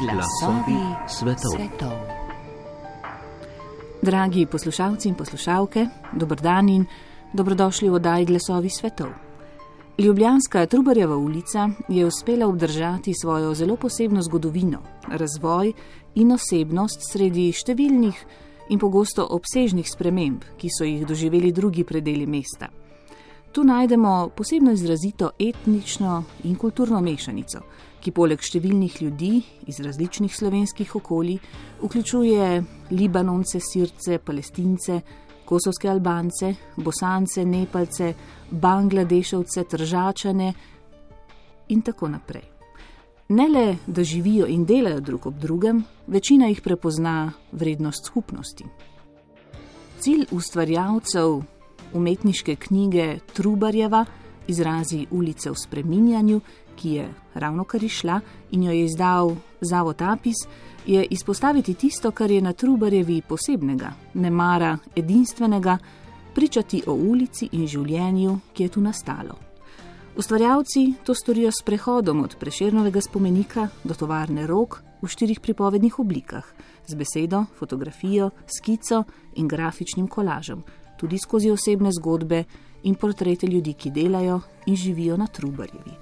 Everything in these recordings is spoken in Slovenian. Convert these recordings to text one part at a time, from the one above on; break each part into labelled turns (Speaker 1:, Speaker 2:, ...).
Speaker 1: Glasovi svetov.
Speaker 2: Dragi poslušalci in poslušalke, dober dan in dobrodošli v oddaji Glasovi svetov. Ljubljanska Trubarjeva ulica je uspela obdržati svojo zelo posebno zgodovino, razvoj in osebnost sredi številnih in pogosto obsežnih sprememb, ki so jih doživeli drugi predeli mesta. Tu najdemo posebno izrazito etnično in kulturno mešanico, ki poleg številnih ljudi iz različnih slovenskih okolij vključuje Libanonce, Sirce, Palestince, kosovske Albance, Bosance, Nepalce, Bangladeševce, Tržačane in tako naprej. Ne le, da živijo in delajo drug ob drugem, večina jih prepozna vrednost skupnosti. Cilj ustvarjalcev umetniške knjige Trubarjeva, izrazi ulice v spreminjanju, ki je ravnokar izšla in jo je izdal Zavod Apis, je izpostaviti tisto, kar je na Trubarjevi posebnega, nemara edinstvenega, pričati o ulici in življenju, ki je tu nastalo. Ustvarjalci to storijo s prehodom od Prešernovega spomenika do tovarne Rog v 4 pripovednih oblikah, z besedo, fotografijo, skico in grafičnim kolažem, tudi skozi osebne zgodbe in portrete ljudi, ki delajo in živijo na Trubarjevi.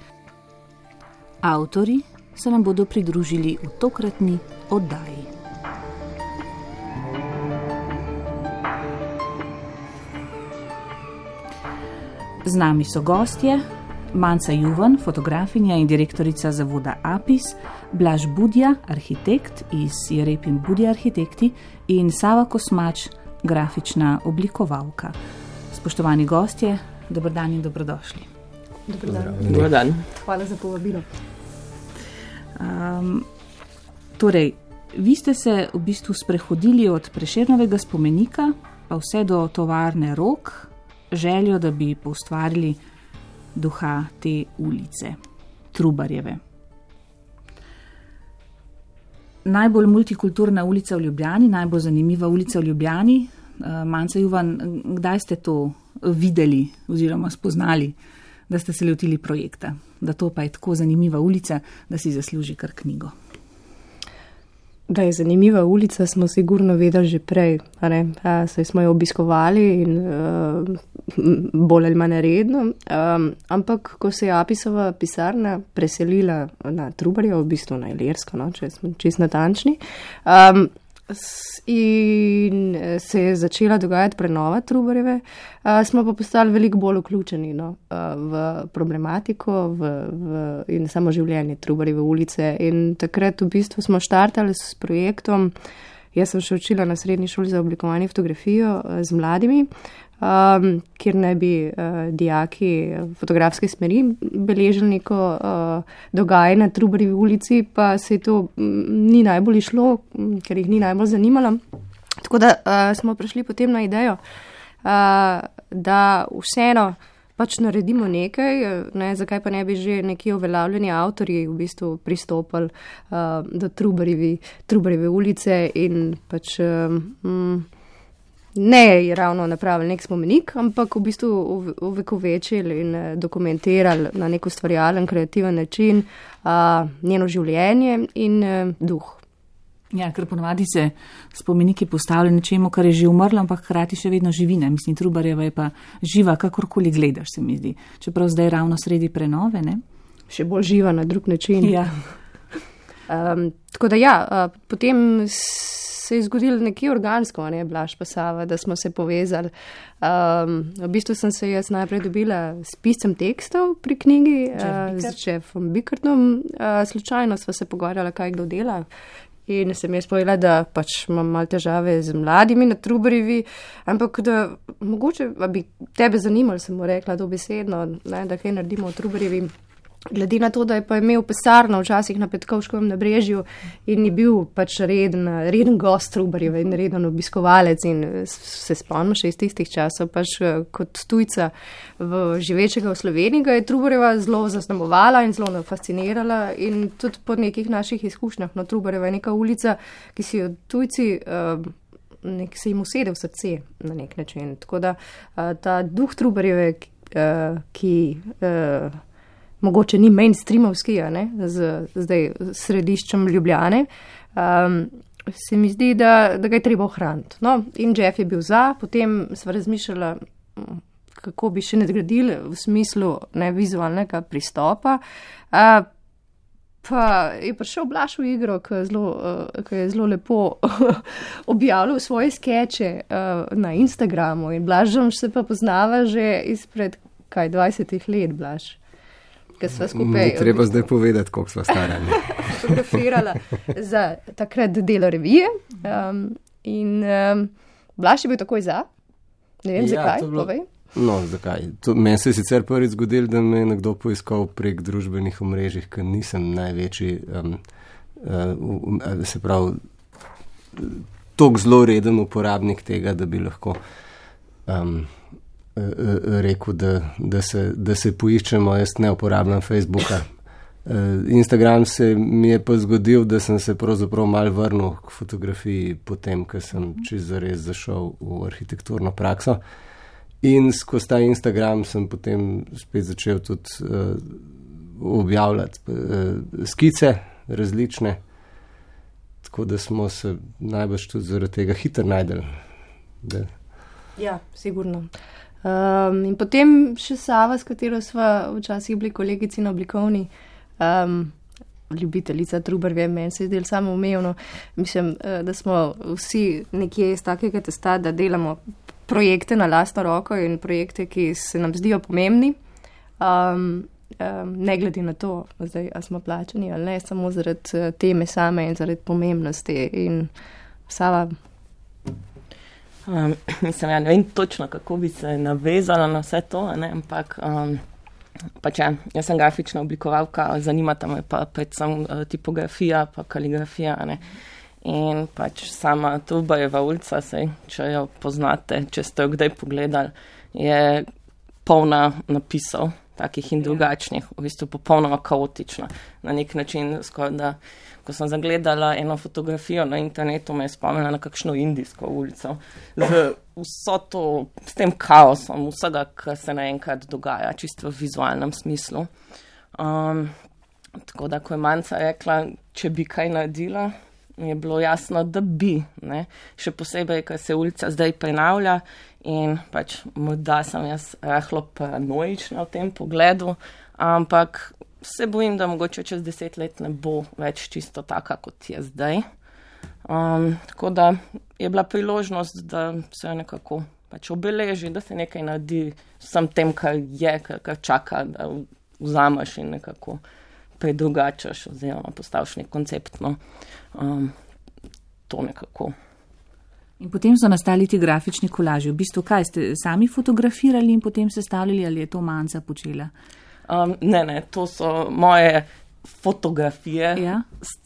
Speaker 2: Avtori se nam bodo pridružili v tokratni oddaji. Z nami so gostje Manca Juvan, fotografinja in direktorica Zavoda Apis, Blaž Budja, arhitekt iz Jerepin Budja arhitekti in Sava Kosmač, grafična oblikovalka. Spoštovani gostje, dober dan in dobrodošli.
Speaker 3: Dober dan.
Speaker 2: Hvala za povabilo. Torej, vi ste se v bistvu sprehodili od Prešernovega spomenika pa vse do tovarne Rog, željo, da bi poustvarili duha te ulice, Trubarjeve. Najbolj multikulturna ulica v Ljubljani, najbolj zanimiva ulica v Ljubljani. Manca Juvan, kdaj ste to videli oziroma spoznali, da ste se lotili projekta, da to pa je tako zanimiva ulica, da si zasluži kar knjigo?
Speaker 3: Da je zanimiva ulica, smo sigurno vedeli že prej, saj smo jo obiskovali in bolj ali manj redno, ampak ko se je Apisova pisarna preselila na Trubarjevo, v bistvu na Ilirsko, če smo čisto natančni, in se je začela dogajati prenova Trubarjeve, smo pa postali veliko bolj vključeni v problematiko in samo življenje Trubarjeve ulice. In takrat v bistvu smo štartali s projektom. Jaz sem še učila na srednji šoli za oblikovanje fotografijo z mladimi, kjer naj bi dijaki fotografske smeri beležili neko dogajanje na Trubarjevi ulici, pa se to ni najbolj išlo, ker jih ni najbolj zanimalo. Tako da smo prišli potem na idejo, da vseeno pač naredimo nekaj, zakaj pa ne bi že neki uveljavljeni avtorji v bistvu pristopili do Trubarjeve ulice in pač ne je ravno napravili nek spomenik, ampak v bistvu ovekovečili in dokumentirali na nek ustvarjalen, kreativen način njeno življenje in duh.
Speaker 2: Ja, ker ponovadi se spomeniki postavljajo nečemu, kar je že umrlo, ampak hkrati še vedno živina. Mislim, Trubarjeva je pa živa, kakorkoli gledaš, se mi zdi. Čeprav zdaj ravno sredi prenove, ne?
Speaker 3: Še bolj živa na drug način.
Speaker 2: Ja.
Speaker 3: Tako da ja, potem se je zgodilo nekje organsko, Blaž pa Sava, da smo se povezali. V bistvu sem se jaz najprej dobila s piscem tekstov pri knjigi, z Jeffom Bickertom. Slučajno sva se pogovarjala, kaj kdo dela. In sem jaz povedala, da pač imam malo težave z mladimi na Trubarjevi, ampak da mogoče bi tebe zanimalo, sem mu rekla dobesedno, da kaj naredimo v Trubarjevi. Glede na to, da je pa imel pisarno včasih na Petkovškovem nabrežju in je bil pač reden gost Trubarjeve in reden obiskovalec in se spomnim še iz tistih časov, pač kot tujca živečega v Sloveniji, ga je Trubarjeva zelo zaznamovala in zelo fascinirala in tudi po nekih naših izkušnjah. Trubarjeva je neka ulica, ki si jo tujci se jim usede v srce na nek način. Tako da ta duh Trubarjeve, ki mogoče ni mainstreamovski, zdaj središčem Ljubljane, se mi zdi, da ga je treba ohraniti. No, in Jeff je bil za, potem sva razmišljala, kako bi še nadgradili v smislu vizualnega pristopa. Pa je prišel Blaž v igro, ki je zelo lepo objavljal svoje skeče na Instagramu in Blažom se pa poznava že izpred 20 let, Blaž.
Speaker 4: Ni treba zdaj povedati, koliko sva stara.
Speaker 3: Fotografirala za takrat Delo revije in Blaž je bil takoj za. Ne vem, zakaj, povej.
Speaker 4: No, zakaj? Meni se je sicer prvič zgodilo, da me je nekdo poiskal prek družbenih omrežij, ker nisem največji, se pravi, toliko zelo reden uporabnik tega, da bi lahko rekel, da se poiščemo. Jaz ne uporabljam Facebooka. Instagram se mi je pa zgodil, da sem se pravzaprav malo vrnil k fotografiji potem, ko sem čisto zares zašel v arhitekturno prakso. In skozi ta Instagram sem potem spet začel tudi objavljati skice različne, tako da smo se najbrž tudi zaradi tega hitro najdeli.
Speaker 3: Ja, sigurno. In potem še Sava, s katero sva včasih bili kolegici na oblikovni, ljubiteljica Trubarjeve, meni se je zdelo samo umevno. Mislim, da smo vsi nekje iz takega testa, da delamo projekte na lastno roko in projekte, ki se nam zdijo pomembni, ne glede na to, zdaj, a smo plačani ali ne, samo zaradi teme same in zaradi pomembnosti. In Sava?
Speaker 5: Mislim, ja, ne vem točno, kako bi se navezala na vse to, ampak pač jaz sem grafična oblikovalka, zanimata me pa predvsem tipografija pa kaligrafija, In pač sama Trubarjeva ulica, če jo poznate, če ste jo kdaj pogledali, je polna napisov, takih in drugačnih, v bistvu popolnoma kaotična. Na nek način, skoraj da, ko sem zagledala eno fotografijo na internetu, me je spomnila na kakšno indijsko ulico. S tem kaosom, vsega, kar se naenkrat dogaja, čisto v vizualnem smislu. Tako da, ko je Manca rekla, če bi kaj naredila, je bilo jasno, da bi, še posebej, ker se ulica zdaj prenavlja in pač morda sem jaz rahlo paranoična v tem pogledu, ampak se bojim, da mogoče čez 10 let ne bo več čisto taka, kot je zdaj. Tako da je bila priložnost, da se nekako pač obeleži, da se nekaj naredi vsem tem, kar je, kar čaka, da vzameš in nekako predrugačaš oziroma postaviš nek koncept, to nekako.
Speaker 2: In potem so nastali ti grafični kolaži. V bistvu, kaj ste sami fotografirali in potem sestavljali, ali je to Manca počela?
Speaker 5: Ne, to so moje fotografije,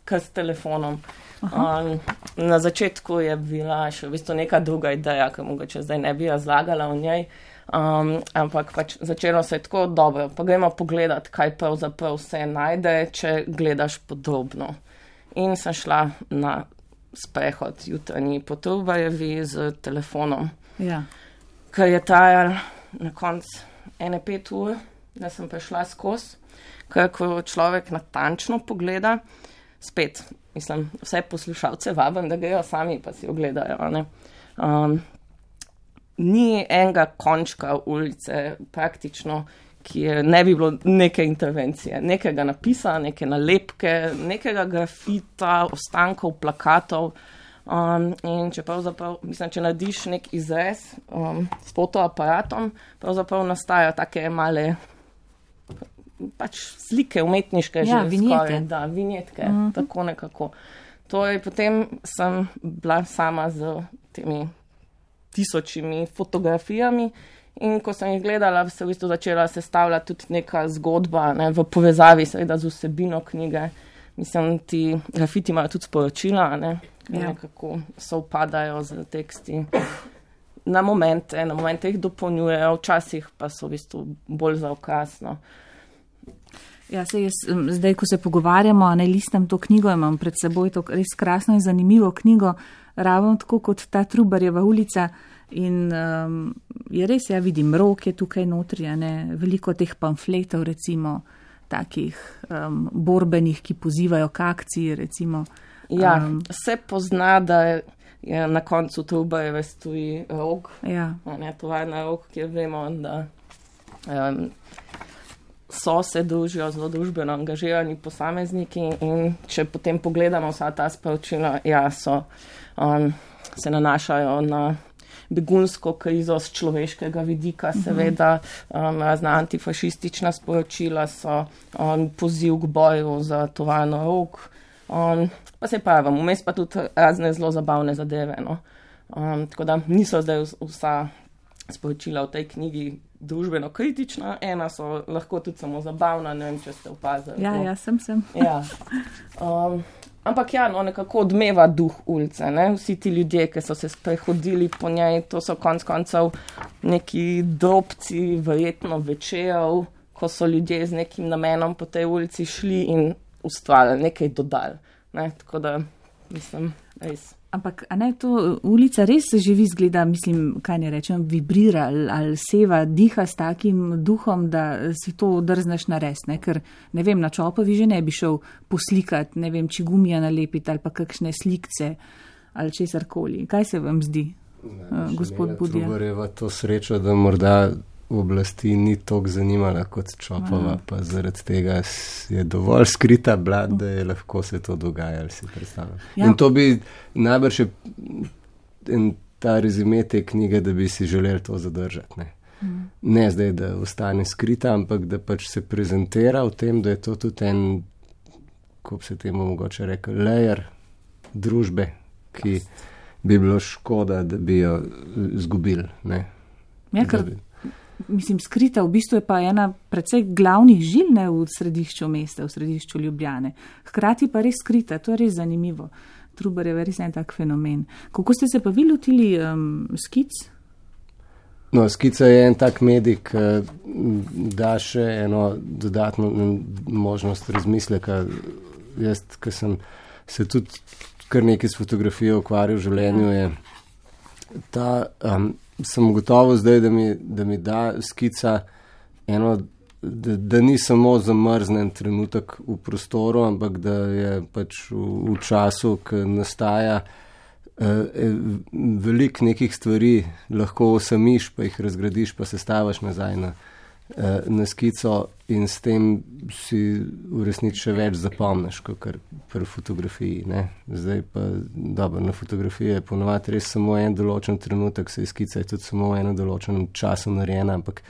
Speaker 5: kar s telefonom. Na začetku je bila še v bistvu neka druga ideja, ker mogoče zdaj ne bi razlagala o njej, ampak pač začelo se je tako dobro, pa gremo pogledati, kaj pravzaprav vse najde, če gledaš podrobno. In sem šla na sprehod jutranji po Trubarjevi z telefonom, ker je trajal na koncu 5 ur, da sem prišla skozi, ker ko človek natančno pogleda, spet, mislim, vse poslušalce vabim, da grejo sami pa si ogledajo, ni enega končka ulice praktično, ki ne bi bilo neke intervencije, nekega napisa, neke nalepke, nekega grafita, ostankov, plakatov. In če pravzaprav, mislim, če narediš nek izrez s fotoaparatom, pravzaprav nastajajo take male pač slike umetniške,
Speaker 2: vinjete.
Speaker 5: Da, vinjetke, tako nekako. Torej, potem sem bila sama z temi 1000 fotografijami in ko sem jih gledala, se v bistvu začela sestavljati tudi neka zgodba, v povezavi seveda z vsebino knjige. Mislim, ti grafiti imajo tudi sporočila, nekako sovpadajo z teksti. Na momente jih dopolnjujejo, včasih pa so v bistvu bolj za okras.
Speaker 2: Ja, zdaj, ko se pogovarjamo, listam to knjigo, imam pred seboj to res krasno in zanimivo knjigo, ravno tako kot ta Trubarjeva ulica. In je res, vidim, rok je tukaj notri, veliko teh pamfletov, recimo, takih borbenih, ki pozivajo k akciji, recimo.
Speaker 5: Ja, se pozna, da je na koncu Trubarjeve stoji Rog, tovarna Rog, kjer vemo, da se družijo zelo družbeno angažirani posamezniki in če potem pogledamo vsa ta sporočila, se nanašajo na begunsko krizo z človeškega vidika, seveda razna antifašistična sporočila so poziv k boju za tovarno Rog, pa se pravim, vmes pa tudi razne zelo zabavne zadeve, no. Tako da niso zdaj vsa sporočila v tej knjigi družbeno kritična, ena so lahko tudi samo zabavna, ne vem, če ste opazili.
Speaker 2: Ja, sem.
Speaker 5: Ja. Ampak nekako odmeva duh ulice, ne? Vsi ti ljudje, ki so se sprehodili po njej, to so konec koncev neki drobci, verjetno večerov, ko so ljudje z nekim namenom po tej ulici šli in ustvarjali, nekaj dodali, ne? Tako da, mislim, res.
Speaker 2: Ampak, a ne, to ulica res živi, zgleda, mislim, kaj ne rečem, vibrira ali seva, diha s takim duhom, da si to drzneš narediti, ne, ker, ne vem, na Čopovi že ne bi šel poslikati, ne vem, čigumija nalepiti ali pa kakšne slikce ali česarkoli. Kaj se vam zdi, gospod Budija?
Speaker 4: Trubarjeva to srečo, da morda oblasti ni toliko zanimala kot Čopova, pa zaradi tega je dovolj skrita bila, da je lahko se to dogajalo, si predstavljam. In to bi najbrž ta rezime te knjige, da bi si želeli to zadržati. Ne zdaj, da ostane skrita, ampak da pač se prezentira v tem, da je to tudi en, kako se temu mogoče rekel, layer družbe, ki bi bilo škoda, da bi jo izgubili.
Speaker 2: Mislim, skrita v bistvu je pa ena precej glavnih žil, ne, v središču mesta, v središču Ljubljane. Hkrati pa res skrita, to je res zanimivo. Trubarjeva je res en tak fenomen. Kako ste se pa vi lotili skic?
Speaker 4: No, skica je en tak medij, ki da še eno dodatno možnost razmisleka. Jaz, ki sem se tudi kar nekaj s fotografijo ukvarjal v življenju, je ta... sem gotovo zdaj, da mi da skica eno, da ni samo zamrznen trenutek v prostoru, ampak da je pač v času, ki nastaja veliko nekih stvari, lahko osamiš, pa jih razgradiš, pa se stavaš nazaj na skico in s tem si v resnici še več zapomniš, kot pri fotografiji. Ne? Zdaj pa, dobro, na fotografiji je ponovadi res samo en določen trenutek, se skica je tudi samo v enem določenem času narejena, ampak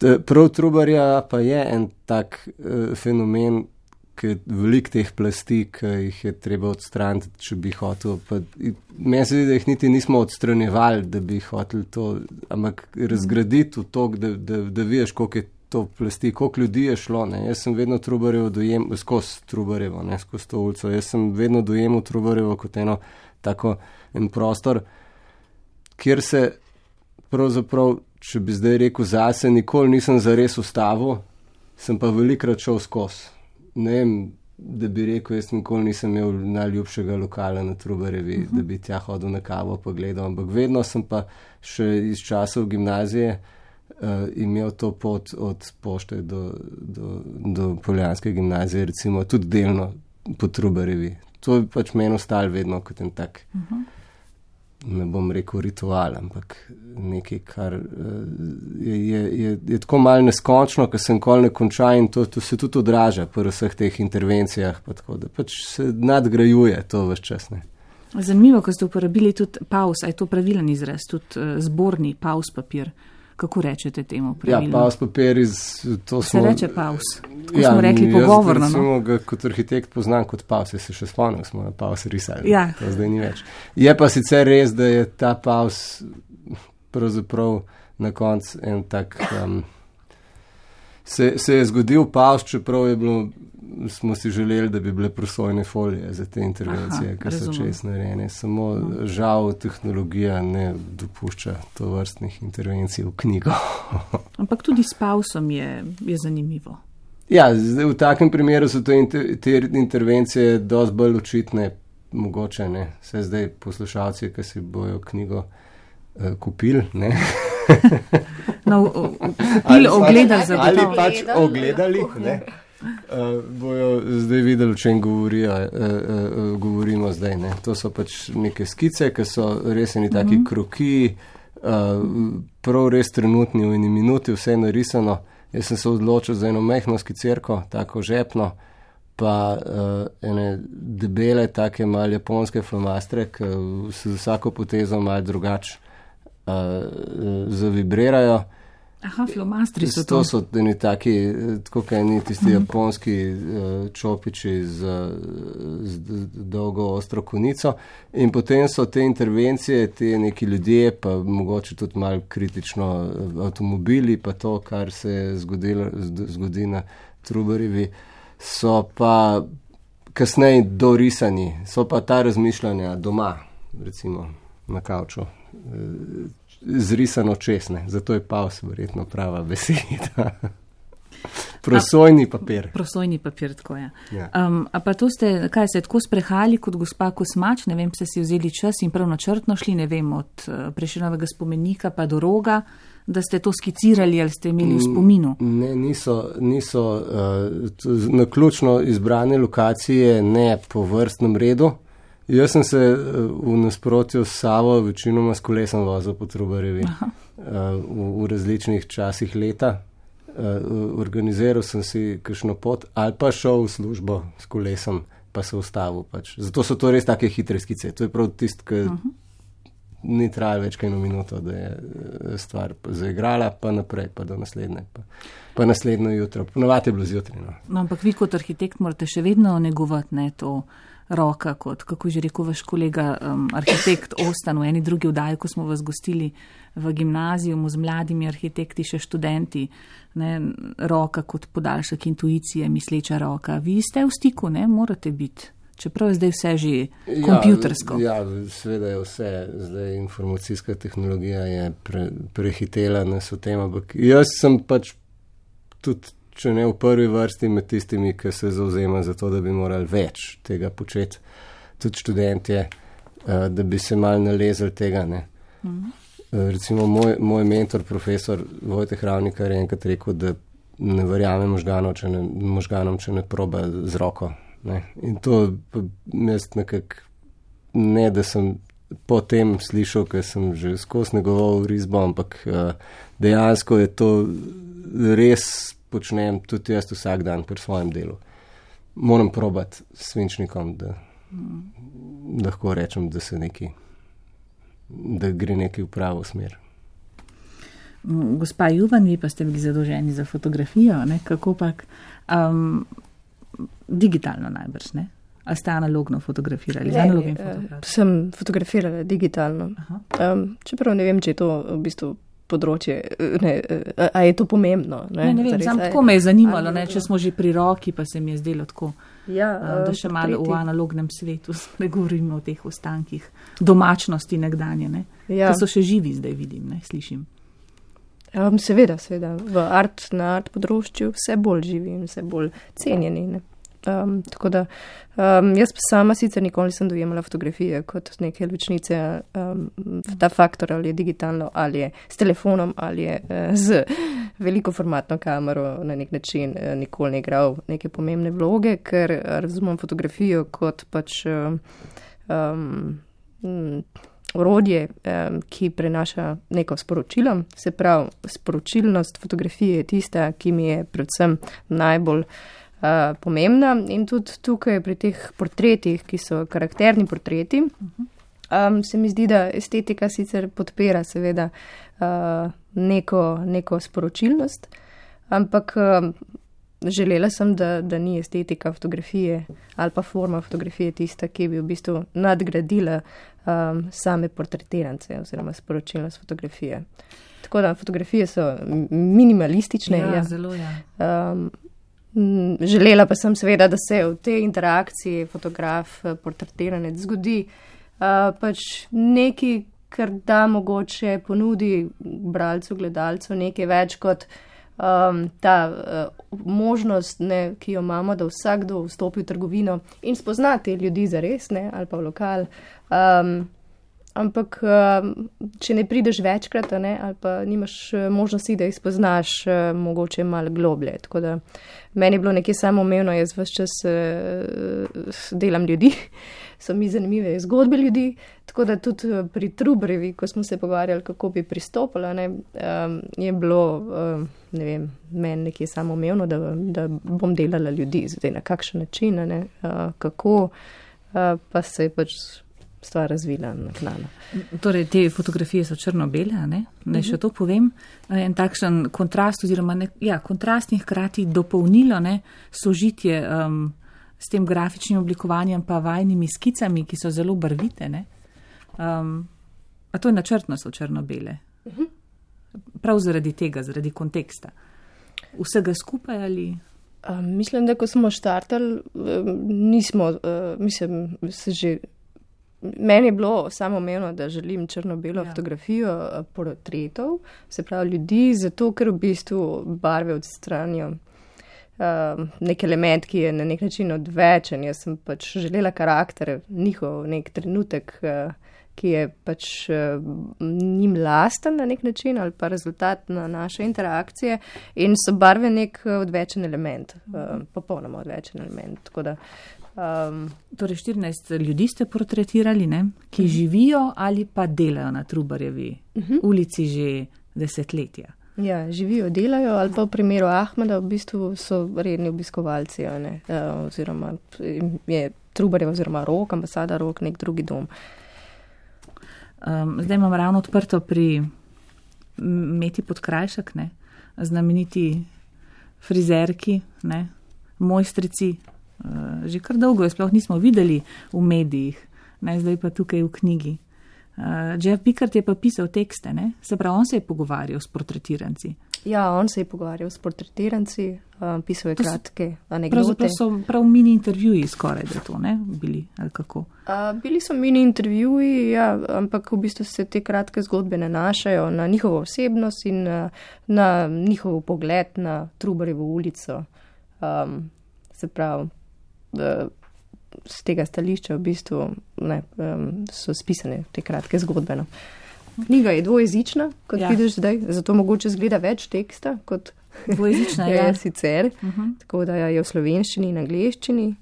Speaker 4: prav Trubarja pa je en tak fenomen, ki veliko teh plasti, ki jih je treba odstraniti, če bi hotel. Meni se zdi, da jih niti nismo odstranjevali, da bi hoteli to, ampak razgraditi v to, da vidiš, koliko je to plasti, koliko ljudi je šlo. Ne. Jaz sem vedno Trubarjevo dojemal, skozi Trubarjevo, ne, skozi to ulico. Jaz sem vedno dojemal Trubarjevo kot en prostor, kjer se pravzaprav, če bi zdaj rekel zase, nikoli nisem zares ustavil, sem pa velikrat šel skozi. Ne vem, da bi rekel, jaz nikoli nisem imel najljubšega lokala na Trubarjevi, da bi tja hodil na kavo pa gledal, ampak vedno sem pa še iz časov gimnazije imel to pot od Pošte do Poljanske gimnazije, recimo tudi delno po Trubarjevi. To je pač meni ostalo vedno kot en tak, ne bom rekel ritual, ampak nekaj, kar je tako malo neskončno, ker se nikoli ne konča in to se tudi odraža pri vseh teh intervencijah, pa tako, da pač se nadgrajuje to ves čas. Ne.
Speaker 2: Zanimivo, ko ste uporabili tudi paus, a je to pravilen izraz, tudi zborni paus papir. Kako rečete temu pravilno?
Speaker 4: Ja, paus papir
Speaker 2: se reče paus. Tako smo rekli pogovorno.
Speaker 4: Jaz recimo ga kot arhitekt poznam kot paus, jaz se še spomnim, smo na paus risali.
Speaker 2: Ja.
Speaker 4: To zdaj ni več. Je pa sicer res, da je ta paus pravzaprav na koncu en tak... Se je zgodil paus, čeprav je bilo, smo si želeli, da bi bile prosojne folije za te intervencije, ker so čez narejene. Samo žal tehnologija ne dopušča to vrstnih intervencij v knjigo.
Speaker 2: Ampak tudi s pausom je zanimivo.
Speaker 4: Ja, zdaj, v takem primeru so te intervencije dosti bolj očitne, mogoče ne. Vse zdaj poslušalci, ki si bojo knjigo kupili, ne,
Speaker 2: No, ogledali za
Speaker 4: ali pač ogledali, ne? Bojo zdaj videli, o čem govorimo zdaj. Ne? To so pač neke skice, ki so res eni taki kroki, prav res trenutni v eni minuti, vse je narisano. Jaz sem se odločil za eno mehno skicirko, tako žepno, pa ene debele, take malo japonske flomastre, ki se z vsako potezo malo drugače zavibrirajo.
Speaker 2: Aha, flomastri so to.
Speaker 4: To so eni taki, tako kaj ni tisti japonski čopiči z dolgo ostro konico. In potem so te intervencije, te neki ljudje, pa mogoče tudi malo kritično avtomobili, pa to, kar se zgodi na Trubarjevi, so pa kasneje dorisani, so pa ta razmišljanja doma, recimo na kavču, zrisano česne, zato je paus verjetno prava beseda. Prosojni papir.
Speaker 2: Prosojni papir, tako je.
Speaker 4: Ja.
Speaker 2: A pa to ste, kaj se tako sprehali kot gospa Kosmač, ne vem, ste si vzeli čas in prav načrtno šli, ne vem, od Prešernovega spomenika pa do Roga, da ste to skicirali ali ste imeli v spominu?
Speaker 4: Ne, niso naključno izbrane lokacije, ne po vrstnem redu. Jaz sem se v nasprotju s Savo večinoma s kolesom vozil po Trubarjevi v različnih časih leta. Organiziral sem si kakšno pot ali pa šel v službo s kolesom, pa se ustavil pač. Zato so to res take hitre skice. To je prav tisto, ki ni trajalo več kaj eno minuto, da je stvar zaigrala, pa naprej, pa do naslednje, pa naslednjo jutro. Ponovadi je bilo zjutraj.
Speaker 2: No, ampak vi kot arhitekt morate še vedno negovati, ne, to roka, kot, kako že rekel vaš kolega, arhitekt Ostan v eni drugi vdaji, ko smo vas gostili v gimnazijumu z mladimi arhitekti, še študenti, ne, roka kot podaljšek intuicije, misleča roka. Vi ste v stiku, ne, morate biti, čeprav je zdaj vse že kompjutersko.
Speaker 4: Ja, seveda je vse, zdaj informacijska tehnologija je prehitela nas v tem, ampak jaz sem pač tudi, če ne v prvi vrsti med tistimi, ki se zauzema za to, da bi morali več tega početi, tudi študentje, da bi se mal nalezali tega, ne. Recimo moj mentor, profesor Vojteh Ravnikar, je enkrat rekel, da ne verjame možganom, če ne proba z roko, ne. In to jaz nekako, ne da sem potem slišal, ker sem že skozi njegovo risbo, ampak dejansko je to res počnem tudi jaz vsak dan pri svojem delu. Moram probati s svinčnikom, da lahko rečem, da gre nekaj v pravo smer.
Speaker 2: Gospa Juvan, vi pa ste bili zadolženi za fotografijo, ne? Kako pak? Digitalno najbrž, ne? A ste analogno fotografirali?
Speaker 3: Sem fotografirala digitalno. Čeprav ne vem, če je to v bistvu področje, a je to pomembno?
Speaker 2: Ne vem, sam tako me je zanimalo, ne, če smo že pri roki, pa se mi je zdelo tako, da še malo v analognem svetu spregovorimo o teh ostankih domačnosti nekdanje, ne, ki so še živi zdaj, vidim, ne, slišim.
Speaker 3: Seveda, na art področju vse bolj živi in vse bolj cenjeni, ne. Tako da, jaz sama sicer nikoli nisem dojemala fotografije kot neke ločnice, ta faktor ali je digitalno, ali je s telefonom, ali je z veliko formatno kamero na nek način nikoli ne igral neke pomembne vloge, ker razumem fotografijo kot pač orodje, ki prenaša neko sporočilo. Se pravi, sporočilnost fotografije je tista, ki mi je predvsem najbolj pomembna in tudi tukaj pri teh portretih, ki so karakterni portreti, se mi zdi, da estetika sicer podpira seveda neko sporočilnost, ampak želela sem, da ni estetika fotografije ali pa forma fotografije tista, ki bi v bistvu nadgradila same portretirance oziroma sporočilnost fotografije. Tako da fotografije so minimalistične.
Speaker 2: Ja, zelo, ja.
Speaker 3: Želela pa sem seveda, da se v tej interakciji fotograf, portretiranec zgodi pač nekaj, kar da mogoče ponudi bralcu, gledalcu nekaj več kot ta možnost, ne, ki jo imamo, da vsakdo vstopi v trgovino in spozna te ljudi zares, ne, ali pa v lokal ampak če ne prideš večkrat, ali pa nimaš možnosti, da jih spoznaš mogoče malo globlje. Tako da meni je bilo nekje samoumevno, jaz ves čas delam ljudi, so mi zanimive zgodbe ljudi, tako da tudi pri Trubarjevi, ko smo se pogovarjali, kako bi pristopila, je bilo, ne vem, meni nekje samoumevno, da bom delala ljudi, zdaj na kakšen način, kako, pa se je pač stvar razvila naknadno.
Speaker 2: Torej, te fotografije so črno-bele, ne še to povem. En takšen kontrast oziroma kontrast in hkrati dopolnilo, sožitje s tem grafičnim oblikovanjem pa vajnimi skicami, ki so zelo barvite. A to je načrtno so črno-bele. Prav zaradi tega, zaradi konteksta. Vsega skupaj ali?
Speaker 3: Mislim, da ko smo štartali, nismo, meni je bilo samoumevno, da želim črno-belo fotografijo portretov, se pravi ljudi, zato ker v bistvu barve odstranijo nek element, ki je na nek način odvečen. Jaz sem pač želela karakter, njihov nek trenutek, ki je pač njim lasten na nek način ali pa rezultat na naše interakcije in so barve nek odvečen element, popolnoma odvečen element. Tako da
Speaker 2: torej 14 ljudi ste portretirali, ki živijo ali pa delajo na Trubarjevi ulici že desetletja.
Speaker 3: Ja, živijo, delajo ali pa v primeru Ahmeda v bistvu so redni obiskovalci, oziroma je Trubarjev oziroma Rok, ambasada Rok, nek drugi dom.
Speaker 2: Zdaj imam ravno odprto pri Meti Podkrajšek, znameniti frizerki, mojstrici. Že kar dolgo je sploh nismo videli v medijih, zdaj pa tukaj v knjigi. Jeff Pickard je pa pisal tekste, se pravi, on se je pogovarjal s portretiranci.
Speaker 3: Ja, on se je pogovarjal s portretiranci, pisal je kratke anekdote.
Speaker 2: Pravzaprav so prav mini intervjuji skoraj da to, bili, ali kako?
Speaker 3: Bili so mini intervjuji, ja, ampak v bistvu se te kratke zgodbe nanašajo na njihovo osebnost in na njihov pogled na Trubarjevo ulico. Se pravi, z tega stališča v bistvu so spisane te kratke zgodbe. Knjiga je dvojezična, kot vidiš zdaj, zato mogoče zgleda več teksta, kot
Speaker 2: dvojezična
Speaker 3: je sicer. Tako da je v slovenščini in angleščini.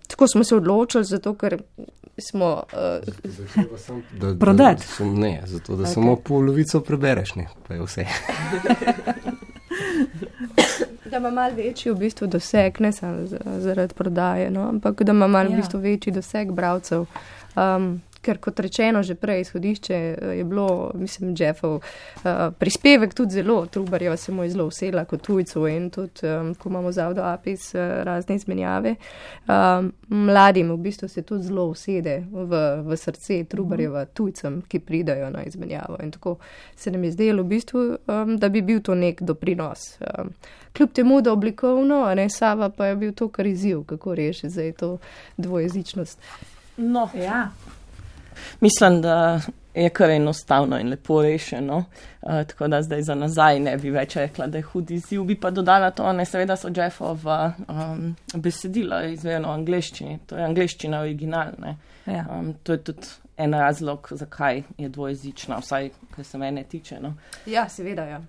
Speaker 3: Tako smo se odločili, zato ker smo
Speaker 2: prodati.
Speaker 4: Ne, zato da samo polovico prebereš, pa je vse.
Speaker 3: Da ima malo večji v bistvu doseg, ne samo zaradi prodaje, ampak da ima malo v bistvu večji doseg bralcev. Ker kot rečeno že prej, izhodišče je bilo, mislim, Jeffov prispevek tudi zelo, Trubarjeva se mu je zelo usela kot tujcu in tudi, ko imamo zavdo APIS, razne izmenjave, mladim v bistvu se tudi zelo usede v srce Trubarjeva tujcem, ki pridajo na izmenjavo. In tako se nam je zdelo v bistvu, da bi bil to nek doprinos. Kljub temu, da oblikovno, Sava pa je bil to kar izziv, kako rešiti zdaj to dvojezičnost.
Speaker 5: No, ja. Mislim, da je kar enostavno in lepo rešeno, tako da zdaj za nazaj ne bi več rekla, da je hud izziv. Bi pa dodala to, seveda so Jeffova besedila izvedeno v angleščini, to je angleščina originalna. Ja. To je tudi en razlog, zakaj je dvojezična, vsaj, kar se mene tiče.
Speaker 3: Ja, seveda, ja.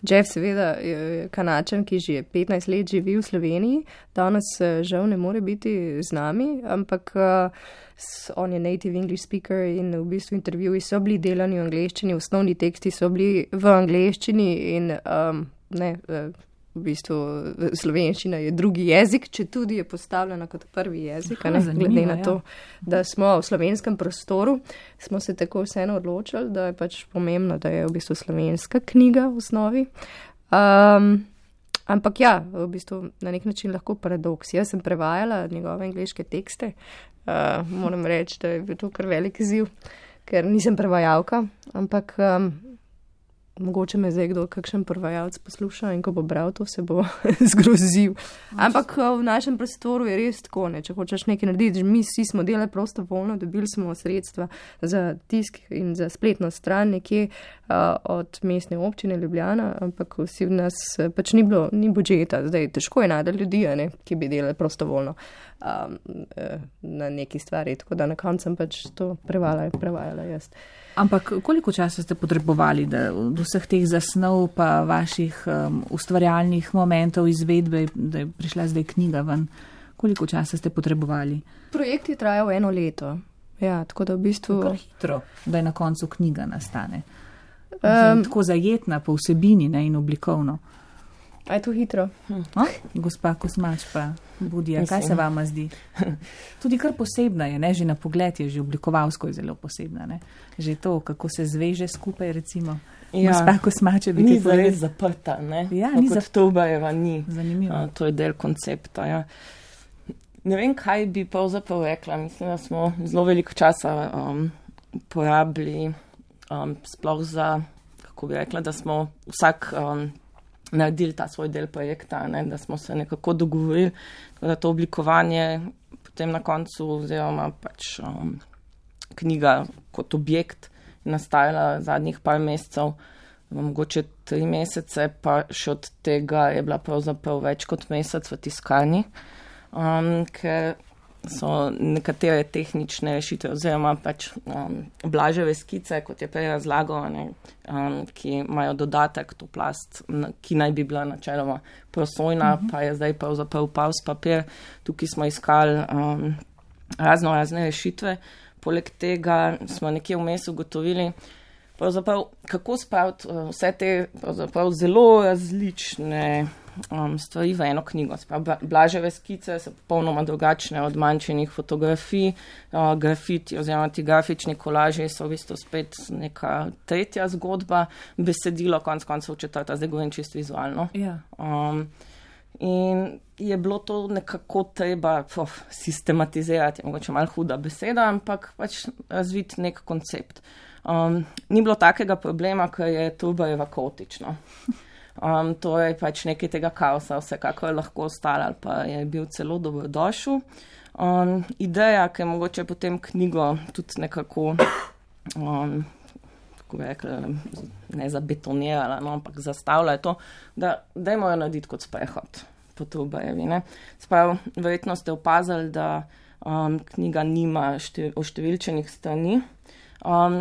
Speaker 3: Jeff seveda je Kanačan, ki že 15 let živi v Sloveniji, danes žal ne more biti z nami, ampak on je native English speaker in v bistvu intervjuji so bili delani v angleščini, osnovni teksti so bili v angleščini in v bistvu slovenščina je drugi jezik, če tudi je postavljena kot prvi jezik, glede na to, da smo v slovenskem prostoru, smo se tako vseeno odločili, da je pač pomembno, da je v bistvu slovenska knjiga v osnovi. Ampak ja, v bistvu na nek način lahko paradoks. Jaz sem prevajala njegove angleške tekste, moram reči, da je bil to kar velik izziv, ker nisem prevajalka, ampak mogoče me zdaj kdo kakšen prvajalc posluša in ko bo bral to, se bo zgrozil. Ampak v našem prostoru je res tako, ne, če hočeš nekaj narediti, mi vsi smo delali prostovoljno, dobili smo sredstva za tisk in za spletno stran nekje od mestne občine Ljubljana, ampak vsi v nas pač ni budžeta, zdaj težko je najti ljudi, ne, ki bi delali prostovoljno na neki stvari, tako da na koncu sem pač to prevajala jaz.
Speaker 2: Ampak koliko časa ste potrebovali, da od vseh teh zasnov pa vaših ustvarjalnih momentov izvedbe, da je prišla zdaj knjiga ven, koliko časa ste potrebovali?
Speaker 3: Projekt je trajal 1 leto, ja, tako da v bistvu...
Speaker 2: Tako hitro, da je na koncu knjiga nastane. Tako zajetna po vsebini, ne, in oblikovno.
Speaker 3: A je to hitro?
Speaker 2: Gospa Kosmač pa Budija, kaj se vama zdi? Tudi kar posebna je, ne? Že na pogled je, že oblikovalsko je zelo posebna. Ne? Že to, kako se zveže skupaj, recimo. Ja, gospa Kosmač je
Speaker 5: ni zares zaprta, ne?
Speaker 2: Ja, ni
Speaker 5: Tobajeva ni.
Speaker 2: Zanimivo.
Speaker 5: To je del koncepta, ja. Ne vem, kaj bi pravzaprav rekla. Mislim, da smo zelo veliko časa porabili sploh za, kako bi rekla, da smo vsak naredili ta svoj del projekta, ne, da smo se nekako dogovorili, da to oblikovanje potem na koncu oziroma pač knjiga kot objekt nastajala zadnjih par mesecev, mogoče 3 mesece, pa še od tega je bila pravzaprav več kot mesec v tiskarni, ker so nekatere tehnične rešitve oziroma pač Blaževe skice, kot je prej razlagal, ne, ki imajo dodatek, to plast, ki naj bi bila načeloma prosojna, pa je zdaj pravzaprav paus papir. Tukaj smo iskali razne rešitve. Poleg tega smo nekje vmes ugotovili, pravzaprav, kako spraviti vse te pravzaprav zelo različne stvari v eno knjigo. Blaževe skice so popolnoma drugačne od manjšenih fotografij, grafiti oziroma ti grafični kolaži so v bistvu spet neka tretja zgodba, besedilo konec koncev 4, zdaj govorim čisto vizualno.
Speaker 2: Ja.
Speaker 5: In je bilo to nekako treba sistematizirati, mogoče malo huda beseda, ampak pač razviti nek koncept. Ni bilo takega problema, ker je Tobajeva kaotična. To je pač nekaj tega kaosa, vsekako je lahko ostalo, ali pa je bil celo dobrodošel. Ideja, ki je mogoče potem knjigo tudi nekako, tako bi rekla, ne zabetonirala, no, ampak zastavila je to, da dajmo jo narediti kot sprehod po Tobajevi. Sprav, verjetno ste opazili, da knjiga nima oštevilčenih strani,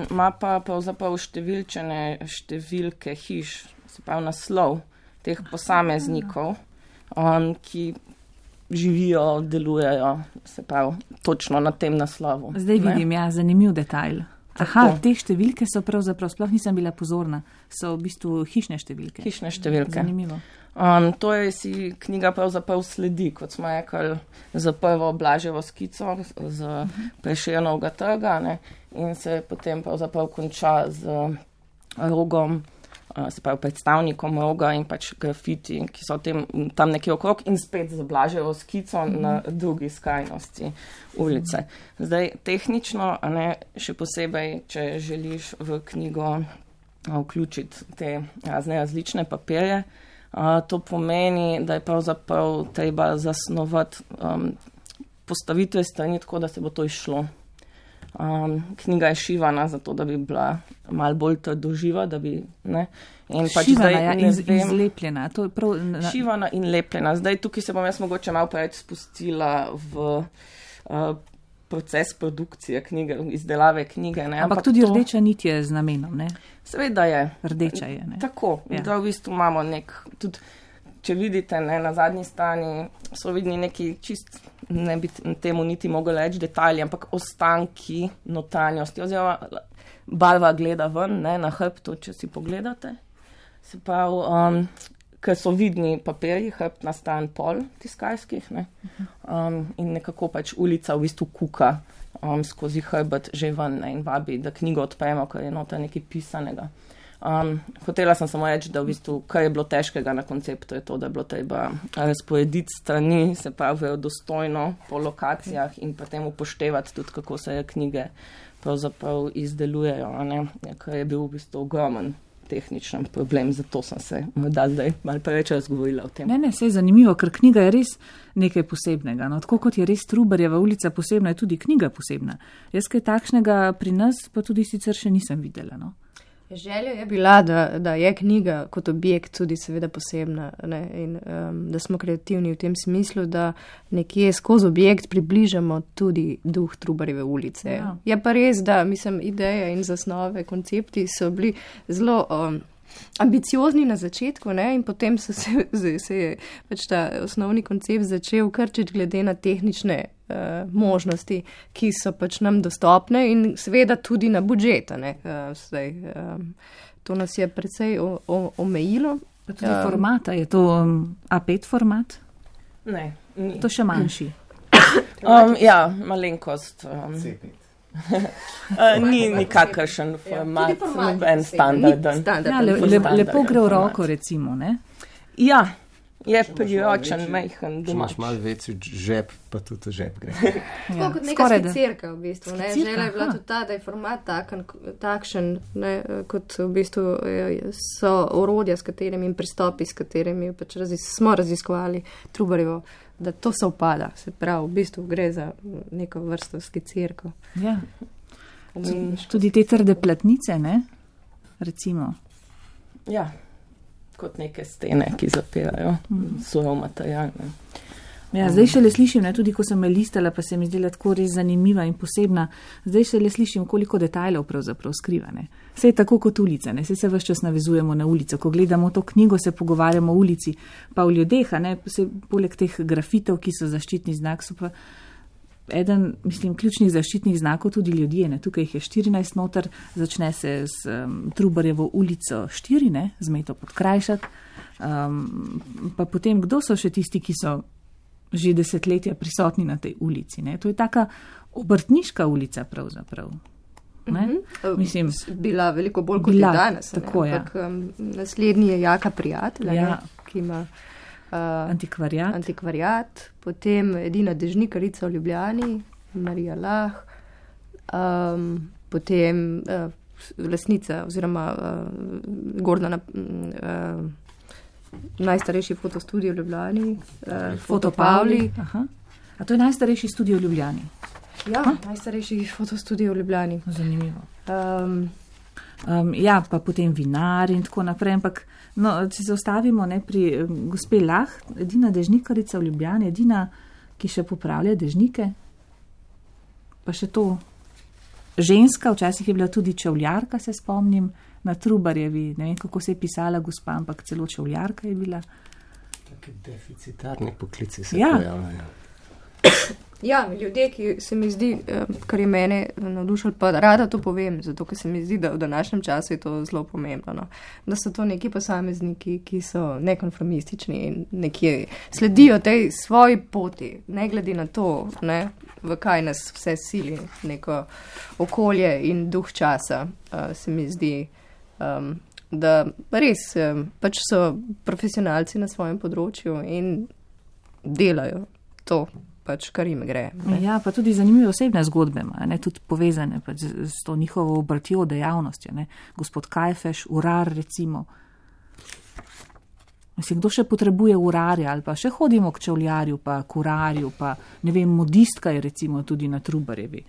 Speaker 5: ima pa pravzaprav oštevilčene številke hiš, se pravi naslov teh posameznikov, ki živijo, delujejo, se pravi, točno na tem naslovu.
Speaker 2: Zdaj vidim, ja, zanimiv detajl. Aha, te številke so pravzaprav, sploh nisem bila pozorna, so v bistvu hišne številke.
Speaker 5: Hišne številke.
Speaker 2: Zanimivo.
Speaker 5: To je si knjiga pravzaprav sledi, kot smo rekli, za prvo Blaževo skico z Prešernovega trga, ne, in se potem pravzaprav konča z rogom, se pravi predstavnikom roga in pač grafiti, ki so tam nekje okrog in spet z Blaževo skico na drugi skrajnosti ulice. Zdaj, tehnično, ne, še posebej, če želiš v knjigo vključiti te različne papirje, to pomeni, da je pravzaprav treba zasnovati postavitve strani tako, da se bo to izšlo. Knjiga je šivana, zato da bi bila malo bolj trdoživa, da bi, ne. In pač
Speaker 2: šivana in zlepljena. To je prav,
Speaker 5: šivana in lepljena. Zdaj tukaj se bom jaz mogoče malo preveč spustila v proces produkcije knjige, izdelave knjige. Ne.
Speaker 2: Ampak tudi rdeča nit je z namenom, ne?
Speaker 5: Seveda je.
Speaker 2: Rdeča je, ne?
Speaker 5: Tako, ja. Da v bistvu imamo tudi, če vidite, ne, na zadnji strani so vidni neki čist, ne bi temu niti mogli reči detalji, ampak ostanki notranjosti, oziroma barva gleda ven, ne, na hrbtu, če si pogledate. Se pravi, ker so vidni papirji, hrbт na stran pol tiskarskih, ne, in nekako pač ulica v bistvu kuka skozi hrbet že ven, ne, in vabi, da knjigo odpremo, ker je noter nekaj pisanega. Hotela sem samo reči, da v bistvu, kar je bilo težkega na konceptu, je to, da je bilo treba razporediti strani, se pravi verodostojno po lokacijah in potem upoštevati tudi, kako se knjige pravzaprav izdelujejo, ne? Kar je bil v bistvu ogromen tehničen problem, zato sem se morda zdaj malo preveč razgovorila o tem.
Speaker 2: Ne, saj je zanimivo, ker knjiga je res nekaj posebnega. No, tako kot je res Trubarjeva ulica posebna, je tudi knjiga posebna. Jaz kaj takšnega pri nas pa tudi sicer še nisem videla. No.
Speaker 3: Želja je bila, da je knjiga kot objekt tudi seveda posebna, ne, in da smo kreativni v tem smislu, da nekje skozi objekt približamo tudi duh Trubarjeve ulice. Ja. Je pa res, da mislim, ideje in zasnove, koncepti so bili zelo ambiciozni na začetku, ne, in potem se je pač ta osnovni koncept začel krčiti glede na tehnične možnosti, ki so pač nam dostopne in seveda tudi na budžeta. To nas je precej omejilo.
Speaker 2: Pa tudi formata, je to A5 format?
Speaker 5: Ne. Ni.
Speaker 2: To še manjši.
Speaker 5: Ja, malenkost. Ni nikakršen format, noben standarden.
Speaker 2: Ja, lepo gre v roko, recimo, ne?
Speaker 5: Ja. Je priročen, majhen doma.
Speaker 4: Če imaš malo večji žep, pa tudi žep gre.
Speaker 3: Ja, kot neka skicirka v bistvu. Želja je bila tudi ta, da je format takšen, ne, kot v bistvu so orodja, s katerimi in pristopi, s katerimi pač smo raziskovali Trubarjevo, da to se upada. Se pravi, v bistvu gre za neko vrsto skicirko.
Speaker 2: Ja. Tudi te trde platnice, ne? Recimo.
Speaker 5: Ja. Kot neke stene, ki zapirajo svoj material.
Speaker 2: Ja, zdaj šele slišim, ne, tudi ko sem me listala, pa se mi zdela tako res zanimiva in posebna, zdaj šele slišim, koliko detajlov pravzaprav skriva. Ne. Vse je tako kot ulica, ne. Vse se ves čas navezujemo na ulico. Ko gledamo to knjigo, se pogovarjamo o ulici, pa o ljudeh, ne, poleg teh grafitev, ki so zaščitni znak, so pa eden, mislim, ključnih zaščitnih znakov tudi ljudje. Ne. Tukaj jih je 14 noter, začne se s Trubarjevo ulico 4, ne, z Meto Podkrajšek. Pa potem, kdo so še tisti, ki so že desetletja prisotni na tej ulici. Ne. To je taka obrtniška ulica pravzaprav. Ne? Mislim,
Speaker 3: bila veliko bolj kot je danes.
Speaker 2: Tako, ja.
Speaker 3: Naslednji je Jaka Prijatelj,
Speaker 2: ja.
Speaker 3: Ki ima
Speaker 2: antikvariat,
Speaker 3: potem edina dežnikarica v Ljubljani, Marija Lah, potem lastnica oziroma Gordana, najstarejši fotostudio v Ljubljani, Foto Pavli.
Speaker 2: Aha. A to je najstarejši studio v Ljubljani?
Speaker 3: Ja, najstarejši fotostudio v Ljubljani.
Speaker 2: Zanimivo. Ja, pa potem vinar in tako naprej, ampak no, če se ostavimo pri gospe Lah, edina dežnikarica v Ljubljani, edina, ki še popravlja dežnike, pa še to ženska, včasih je bila tudi čevljarka, se spomnim, na Trubarjevi, ne vem, kako se je pisala gospa, ampak celo čevljarka je bila.
Speaker 4: Taki deficitarni poklici se pojavljajo.
Speaker 3: Ja, ljudje, ki se mi zdi, kar je mene navdušilo, pa rada to povem, zato ker se mi zdi, da v današnjem času je to zelo pomembno, no. Da so to neki posamezniki, ki so nekonformistični in nekje sledijo tej svoji poti, ne glede na to, ne, v kaj nas vse sili, neko okolje in duh časa, se mi zdi, da res pač so profesionalci na svojem področju in delajo to. Pač, kar jim gre. Ne?
Speaker 2: Ja, pa tudi zanimive osebne zgodbe, ne, tudi povezane pač s to njihovo obrtjo dejavnostjo. Ne. Gospod Kajfeš, urar recimo. Mislim, kdo še potrebuje urarja ali pa še hodimo k čevljarju, pa k urarju, pa ne vem, modistka je recimo tudi na Trubarjevi.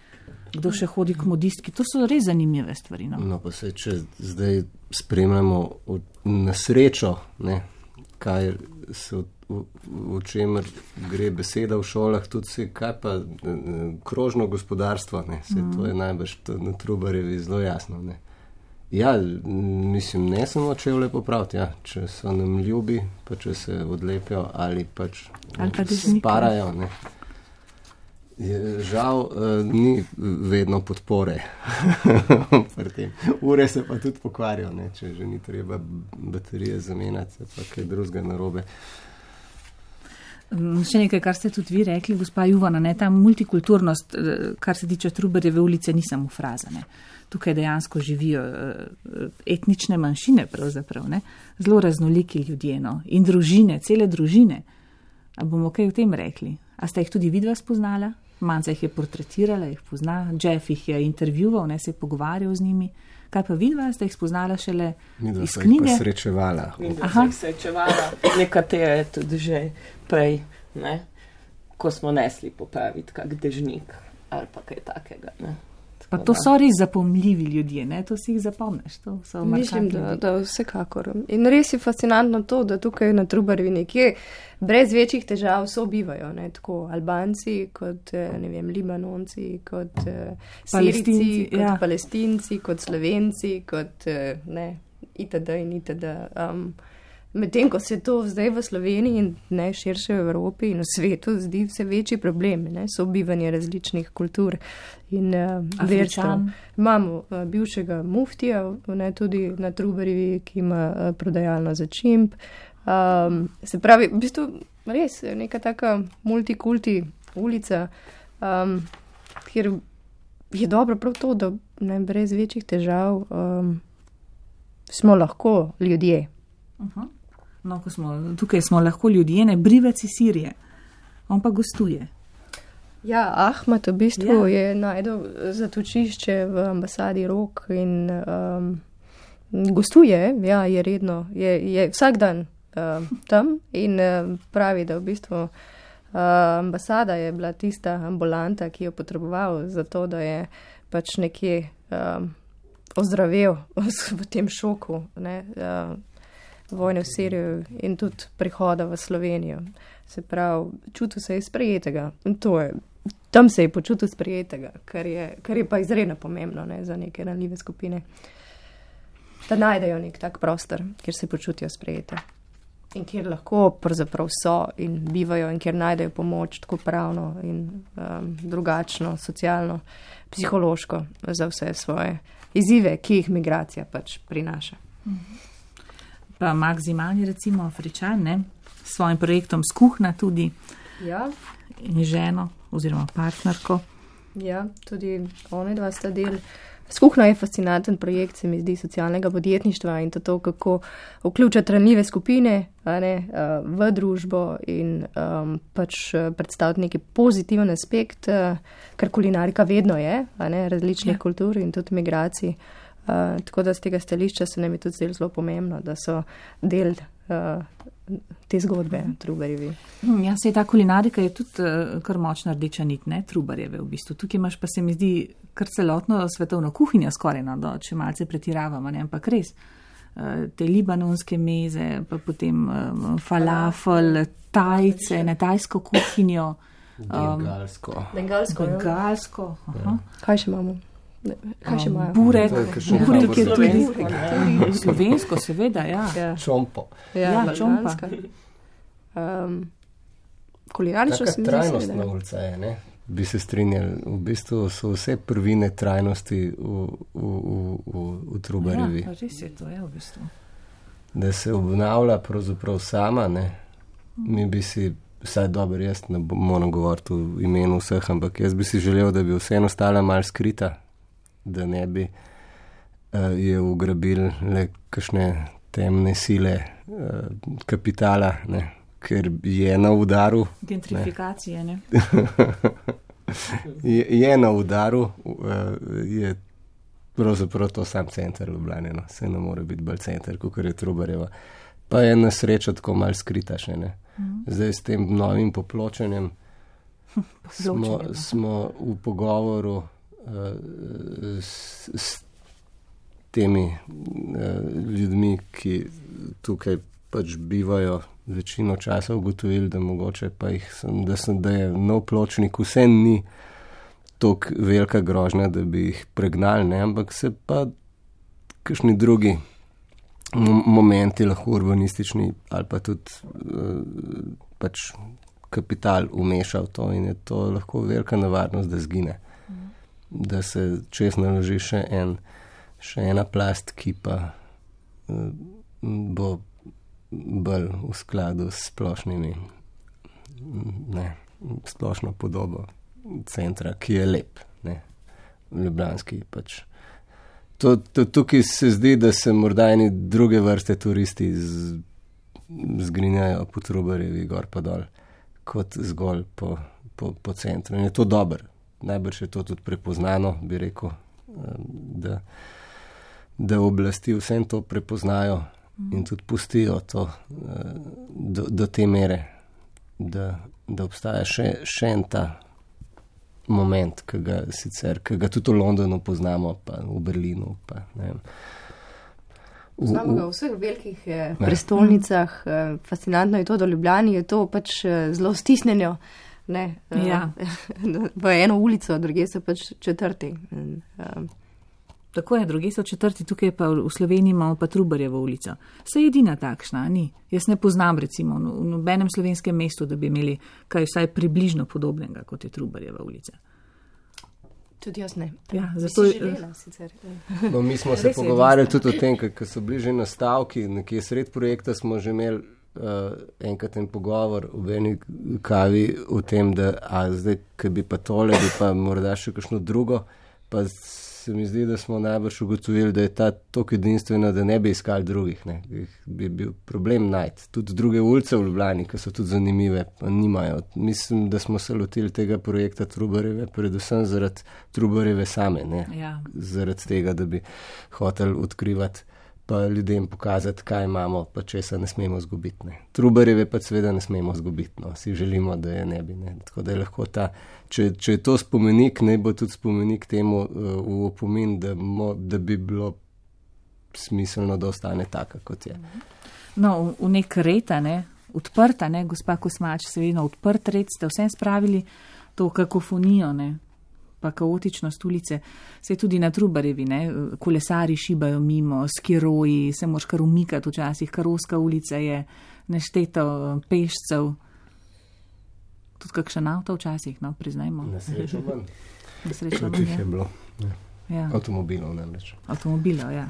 Speaker 2: Kdo še hodi k modistki, to so res zanimive stvari. No,
Speaker 4: no pa se, če zdaj spremljamo na srečo, ne, kaj se o čemer gre beseda v šolah, tudi se, kaj pa krožno gospodarstvo, ne, se to je najbrž na Trubarjevi zelo jasno, ne. Ja, mislim, ne samo čevlje popraviti, ja, če so nam ljubi, pa če se odlepijo ali pač sparajo, ne. Žal ni vedno podpore. Ure se pa tudi pokvarijo, ne, če že ni treba baterije zamenjati, pa kaj drugega narobe.
Speaker 2: Še nekaj, kar ste tudi vi rekli, gospa Juvana, ne, ta multikulturnost, kar se tiče Trubarjeve ulice, ni samo fraza. Ne. Tukaj dejansko živijo etnične manjšine, pravzaprav, ne. Zelo raznoliki ljudje, no, in družine, cele družine. A bomo kaj o tem rekli? A ste jih tudi vidva spoznala? Manca jih je portretirala, jih pozna, Jeff jih je intervjuval, ne, se je pogovarjal z njimi. Kaj pa vidva, ste jih spoznala šele iz knjige?
Speaker 4: Midva se srečevala.
Speaker 5: Midva se jih srečevala, nekatere tudi že prej, ne? Ko smo nesli popraviti kak dežnik ali pa kaj takega. Ne?
Speaker 2: Pa to so res zapomljivi ljudje, ne? To si jih zapomneš. To so
Speaker 3: mislim, da vsekakor. In res je fascinantno to, da tukaj na Trubarjevi nekje brez večjih težav sobivajo, ne? Tako Albanci kot, ne vem, Libanonci, kot Sirijci, kot Palestinci, kot Slovenci, kot ne, itd. in itd. Medtem, ko se to zdaj v Sloveniji in ne širše v Evropi in v svetu zdi vse večji problem, ne, sobivanje različnih kultur in verstev. Imamo bivšega muftija, ne, tudi na Trubarjevi, ki ima prodajalno za čimp. Se pravi, v bistvu res neka taka multikulti ulica, kjer je dobro prav to, da ne, brez večjih težav smo lahko ljudje.
Speaker 2: No, tukaj smo lahko ljudje, ne, Brivec iz Sirije. On pa gostuje.
Speaker 3: Ja, Ahmed v bistvu je najdel zatočišče v ambasadi Rok in gostuje, ja, je redno, je vsak dan tam in pravi, da v bistvu ambasada je bila tista ambulanta, ki jo potreboval za to, da je pač nekje ozdravel v tem šoku, ne, vojne v Siriju in tudi prihoda v Slovenijo. Se pravi, čutil se je sprejetega. In to je, tam se je počutil sprejetega, kar je pa izredno pomembno, ne, za neke ranljive skupine. Da najdejo nek tak prostor, kjer se počutijo sprejete. In kjer lahko pravzaprav so in bivajo in kjer najdejo pomoč tako pravno in drugačno, socialno, psihološko za vse svoje izzive, ki jih migracija pač prinaša.
Speaker 2: Pa Max Zimani, recimo Afričan, ne, s svojim projektom Skuhna tudi.
Speaker 3: Ja.
Speaker 2: In ženo oziroma partnerko.
Speaker 3: Ja, tudi one dva sta del. Skuhna je fascinanten projekt, se mi zdi, socialnega podjetništva in to, kako vključati ranljive skupine, ne, v družbo in pač predstaviti neki pozitiven aspekt, kar kulinarika vedno je, ne, različnih kultur in tudi migracij. Tako da z tega stališča se nam je tudi zelo pomembno, da so del te zgodbe Trubarjevi.
Speaker 2: Ja, se ta kulinarika je tudi kar močna rdeča nit, ne, Trubarjeve v bistvu. Tukaj imaš pa se mi zdi kar celotno svetovno kuhinjo skoraj, no, če malce pretiravamo, ne, ampak res. Te libanonske meze, pa potem falafel, tajce, ne, tajsko kuhinjo. Bengalsko.
Speaker 3: Kaj še imamo? Kaj še imajo?
Speaker 2: Burek je tudi slovensko, seveda, ja.
Speaker 4: Čompo.
Speaker 3: Ja, čompa. Kulinarično se mi zdi.
Speaker 4: Trajnostna ulica je, ne? Bi se strinjali. V bistvu so vse prvine trajnosti v Trubarjevi.
Speaker 2: Ja, res je to, v bistvu.
Speaker 4: Da se obnavlja pravzaprav sama, ne? Mi bi si, vsaj dobro, jaz ne moram govoriti v imenu vseh, ampak jaz bi si želel, da bi vseeno ostala malo skrita, da ne bi je ugrabili le kakšne temne sile kapitala, ne, ker je na udaru.
Speaker 2: Gentrifikacije, ne?
Speaker 4: je na udaru, je pravzaprav to sam center Ljubljane, no. Se ne more biti bolj center, kakor je Trubarjeva. Pa je na srečo tako malo skrita še, ne. Zdaj s tem novim popločenjem smo v pogovoru s temi ljudmi, ki tukaj pač bivajo večino časa, ugotovili, da mogoče pa da je nov pločnik vse ni toliko velika grožnja, da bi jih pregnali, ne, ampak se pa kakšni drugi momenti lahko urbanistični ali pa tudi pač kapital umeša v to in je to lahko velika nevarnost, da zgine. Da se čez naloži še ena plast, ki pa bo bolj v skladu s splošnimi, ne, splošno podobo centra, ki je lep, ne, ljubljanski pač. Tukaj se zdi, da se morda eni druge vrste turisti zgrinjajo po Trubarjevi gor pa dol, kot zgolj po centru. In je to dobro. Najbrž je to tudi prepoznano, bi rekel, da oblasti vsem to prepoznajo in tudi pustijo to do te mere, da obstaja še en ta moment, ki ga tudi v Londonu poznamo, pa v Berlinu, pa ne vem.
Speaker 3: Znamo ga v vseh velikih prestolnicah, fascinantno je to, da v Ljubljani je to pač zelo stisnjeno, ne, v eno ulico, druge so pač četrti.
Speaker 2: Tako je, druge so četrti, tukaj pa v Sloveniji imamo pa Trubarjevo ulico. Se je edina takšna, ni? Jaz ne poznam recimo v nobenem slovenskem mestu, da bi imeli kaj vsaj približno podobnega, kot je Trubarjeva ulica.
Speaker 3: Tudi jaz ne.
Speaker 2: Ja, zato
Speaker 3: si želela sicer.
Speaker 4: No, mi smo se pogovarjali tudi o tem, ker so bili že nastavki, nekje sred projekta smo že imeli enkrat en pogovor v eni kavi o tem, da zdaj, ki bi pa tole, bi pa morda še kakšno drugo, pa se mi zdi, da smo najbrž ugotovili, da je ta toliko edinstvena, da ne bi iskali drugih. Ne. Bi bil problem najti. Tudi druge ulice v Ljubljani, ki so tudi zanimive, pa nimajo. Mislim, da smo se lotili tega projekta Trubarjeve, predvsem zaradi Trubarjeve same. Ne.
Speaker 2: Ja.
Speaker 4: Zaradi tega, da bi hoteli odkrivati pa ljudem pokazati, kaj imamo, pa česa ne smemo zgubiti. Ne. Trubarjeve pa seveda ne smemo zgubiti. No. Si želimo, da je ne bi. Ne. Tako da je lahko če je to spomenik, ne bo tudi spomenik temu v opomin, da bi bilo smiselno, da ostane taka, kot je.
Speaker 2: No, v nek red, odprta, gospa Kosmač, seveda odprt red, ste vsem spravili to kakofonijo, pa kaotičnost ulice. Se tudi na Trubarjevi, kolesari šibajo mimo, skiroji, se moraš kar umikati včasih, Karovska ulica je nešteto pešcev. Tudi kakšen avto včasih, priznajmo.
Speaker 4: Nesrečo manj.
Speaker 2: Nesrečo
Speaker 4: manj, je bilo.
Speaker 2: Ja.
Speaker 4: Avtomobilov namreč.
Speaker 2: Avtomobilov, ja.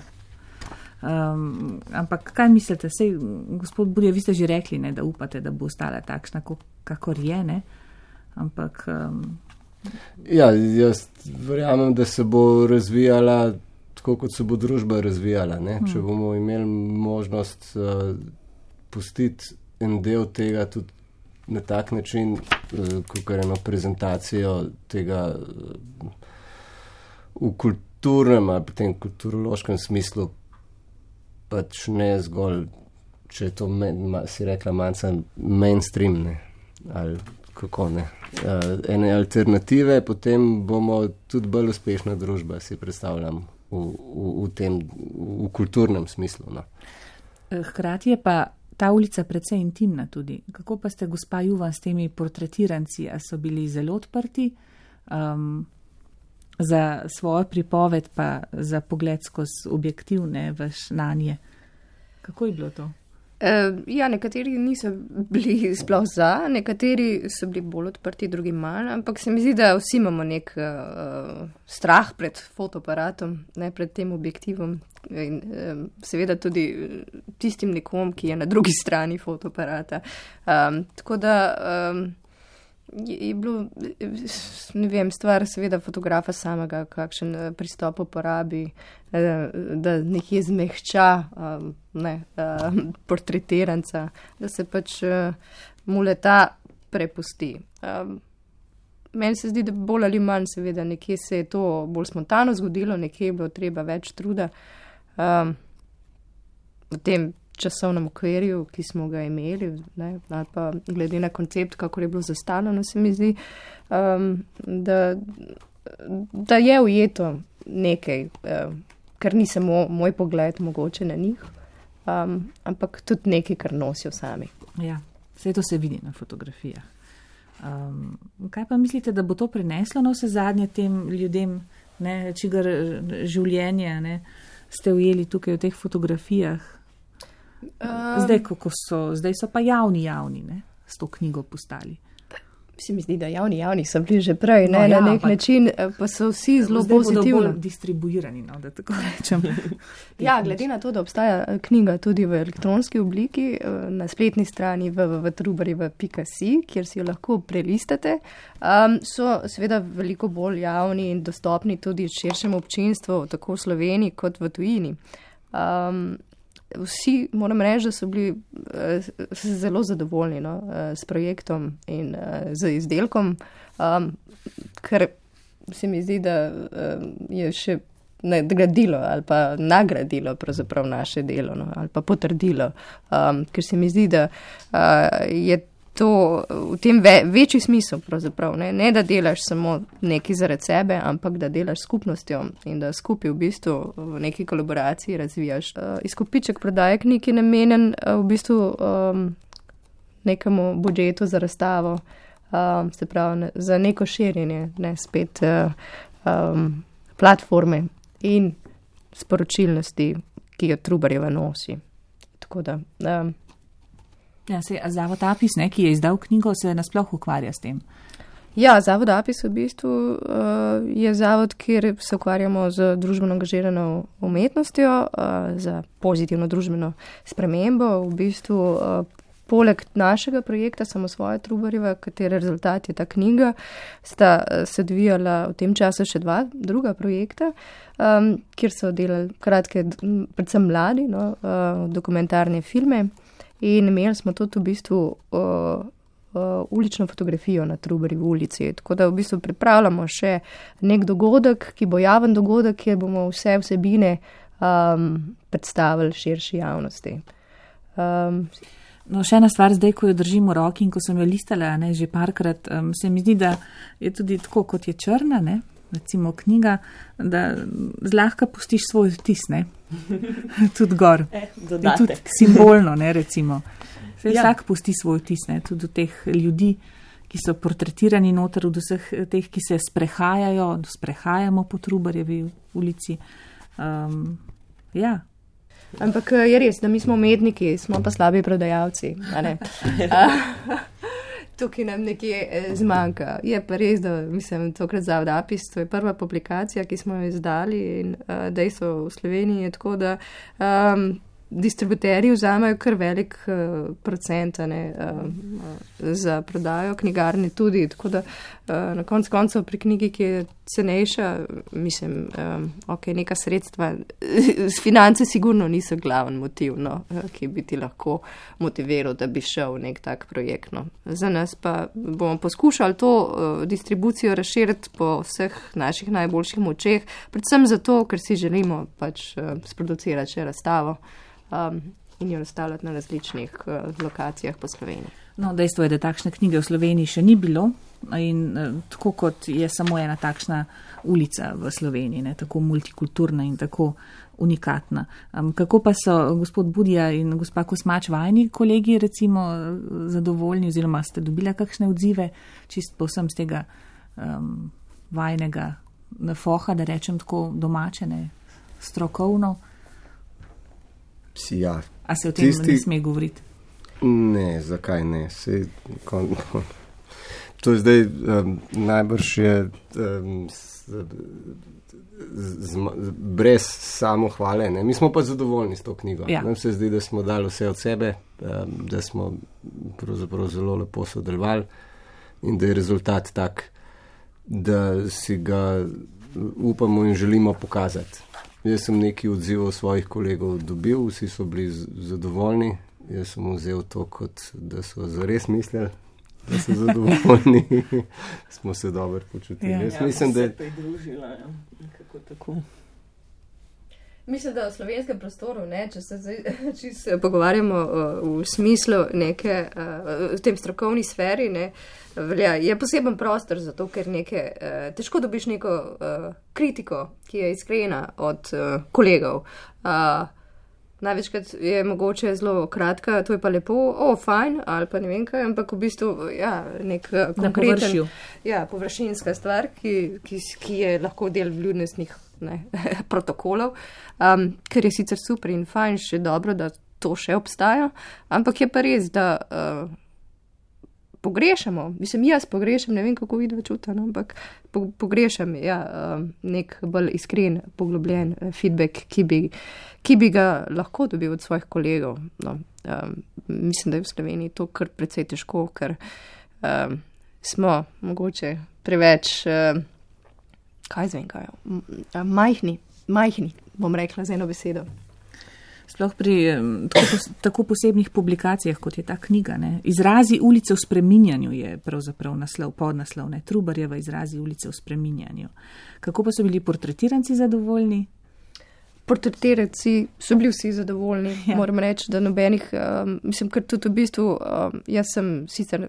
Speaker 2: Ampak kaj mislite? Sej, gospod Burja, vi ste že rekli, da upate, da bo ostala takšna, kakor je, ampak...
Speaker 4: Ja, jaz verjamem, da se bo razvijala tako, kot se bo družba razvijala. Če bomo imeli možnost pustiti en del tega tudi na tak način, kot je eno prezentacijo tega v kulturnem ali potem kulturološkem smislu, pač ne zgolj, če je to, si rekla, manjca mainstream, ali kako ne. Ene alternative, potem bomo tudi bolj uspešna družba, si predstavljam, v kulturnem smislu. No.
Speaker 2: Hkrati je pa ta ulica precej intimna tudi. Kako pa ste, gospa Juvan, s temi portretiranci, a so bili zelo odprti za svojo pripoved, pa za pogled skozi objektiv, vaš nanje? Kako je bilo to?
Speaker 3: Ja, nekateri niso bili sploh za, nekateri so bili bolj odprti, drugi manj, ampak se mi zdi, da vsi imamo nek strah pred fotoaparatom, pred tem objektivom in seveda tudi tistim nekom, ki je na drugi strani fotoaparata. Tako da je bilo, ne vem, stvar seveda fotografa samega, kakšen pristop uporabi, da nekje zmehča portretiranca, da se pač mu leta prepusti. Meni se zdi, da bolj ali manj seveda nekje se je to bolj spontano zgodilo, nekje je bilo treba več truda v tem časovnem okvirju, ki smo ga imeli, ali pa glede na koncept, kako je bilo zastavljeno, se mi zdi, da je ujeto nekaj, kar ni samo moj pogled mogoče na njih, ampak tudi nekaj, kar nosijo sami.
Speaker 2: Ja, vse to se vidi na fotografijah. Kaj pa mislite, da bo to prineslo na vse zadnje tem ljudem, čigar življenje ste ujeli tukaj v teh fotografijah? Zdaj so pa javni, s to knjigo postali.
Speaker 3: Se mi zdi, da javni so bili že prej, na nek način, pa so vsi zelo pozitivni.
Speaker 2: Zdaj bodo bolj distribuirani, da tako rečem.
Speaker 3: Ja, glede na to, da obstaja knjiga tudi v elektronski obliki, na spletni strani www.trubarjeva.si, kjer si jo lahko prelistate, so seveda veliko bolj javni in dostopni tudi širšemu občinstvu, tako v Sloveniji kot v tujini. Vsi, moram reči, da so bili zelo zadovoljni s projektom in z izdelkom, ker se mi zdi, da je še nadgradilo ali pa nagradilo pravzaprav naše delo, no, ali pa potrdilo, ker se mi zdi, da je to v tem večji smisel pravzaprav, ne da delaš samo nekaj zaradi sebe, ampak da delaš skupnostjo in da skupaj v bistvu v neki kolaboraciji razvijaš. Izkupiček prodaje knjig je namenjen v bistvu nekemu budžetu za razstavo, se pravi za neko širjenje, ne spet platforme in sporočilnosti, ki jo Trubarjeva nosi. Tako da...
Speaker 2: Zavod Apis, ki je izdal knjigo, se nasploh ukvarja s tem.
Speaker 3: Ja, Zavod Apis v bistvu je zavod, kjer se ukvarjamo z družbeno angažirano umetnostjo, za pozitivno družbeno spremembo. V bistvu poleg našega projekta Samosvoja Trubarjeva, katere rezultat je ta knjiga, sta se odvijala v tem času še druga projekta, kjer so delali kratke, predvsem mladi, dokumentarne filme. In imeli smo tudi v bistvu ulično fotografijo na Trubarjevi ulici. Tako da v bistvu pripravljamo še nek dogodek, ki bo javen dogodek, kjer bomo vse vsebine predstavili širši javnosti.
Speaker 2: Še ena stvar zdaj, ko jo držim v roki in ko sem jo listala že parkrat, se mi zdi, da je tudi tako, kot je črna, recimo knjiga, da zlahka pustiš svoj vtis, tudi gor. Tudi simbolno, recimo. Vsak pusti svoj vtis, tudi od teh ljudi, ki so portretirani noter, od vseh teh, ki se sprehajamo po Trubarjevi ulici. Ja.
Speaker 3: Ampak je res, da mi smo umetniki, smo pa slabi prodajalci, a ne? Tukaj nam nekje zmanjka. Je pa res, da tokrat Zavod Apis, to je prva publikacija, ki smo jo izdali in dejstvo v Sloveniji je tako, da distributerji vzamajo kar velik procent za prodajo, knjigarne tudi, tako da na koncu pri knjigi, ki je cenejša, neka sredstva, finance sigurno niso glaven motiv, ki bi ti lahko motiviral, da bi šel nek tak projekt. Za nas pa bomo poskušali to distribucijo razširiti po vseh naših najboljših močeh, predvsem zato, ker si želimo pač sproducirati še razstavo in jo razstavljati na različnih lokacijah po Sloveniji.
Speaker 2: Dejstvo je, da takšne knjige v Sloveniji še ni bilo in tako kot je samo ena takšna ulica v Sloveniji, tako multikulturna in tako unikatna. Kako pa so gospod Budija in gospa Kosmač vajni kolegi recimo zadovoljni oziroma ste dobila kakšne odzive čist povsem z tega vajnega foha, da rečem tako domače, strokovno?
Speaker 4: Ja,
Speaker 2: a se o tem ne sme govoriti?
Speaker 4: Ne, zakaj ne? To je zdaj najbrž je brez samohvale. Mi smo pa zadovoljni s to knjigo. Ja. Nam se zdi, da smo dali vse od sebe, da smo pravzaprav zelo lepo sodelovali in da je rezultat tak, da si ga upamo in želimo pokazati. Jaz sem nekaj odzivov svojih kolegov dobil, vsi so bili zadovoljni. Jaz sem vzel to, kot da so zares mislili, da so zadovoljni. Smo se dobro počutili. Jaz mislim, da
Speaker 5: se pridružila, kako tako.
Speaker 3: Mislim, da v slovenskem prostoru, če se pogovarjamo v smislu neke, v tem strokovni sferi, je poseben prostor za to, ker težko dobiš neko kritiko, ki je iskrena od kolegov. Največkrat je mogoče zelo kratka, to je pa lepo, fajn, ali pa ne vem kaj, ampak v bistvu, nek konkreten, površinska stvar, ki je lahko del vljudnostnih protokolov, ker je sicer super in fajn, še dobro, da to še obstaja, ampak je pa res, da pogrešamo, jaz pogrešam, ne vem, kako vidva čuta, ampak pogrešam, nek bolj iskren, poglobljen feedback, ki bi ga lahko dobil od svojih kolegov. Mislim, da je v Sloveniji to kar precej težko, ker smo mogoče preveč majhni, bom rekla z eno besedo.
Speaker 2: Sploh pri tako posebnih publikacijah, kot je ta knjiga. Ne? Izrazi ulice v spreminjanju je pravzaprav podnaslov, ne? Trubarjeva izrazi ulice v spreminjanju. Kako pa so bili portretiranci zadovoljni?
Speaker 3: Portretiranci so bili vsi zadovoljni, moram reči, da nobenih, mislim, ker tudi v bistvu, jaz sem sicer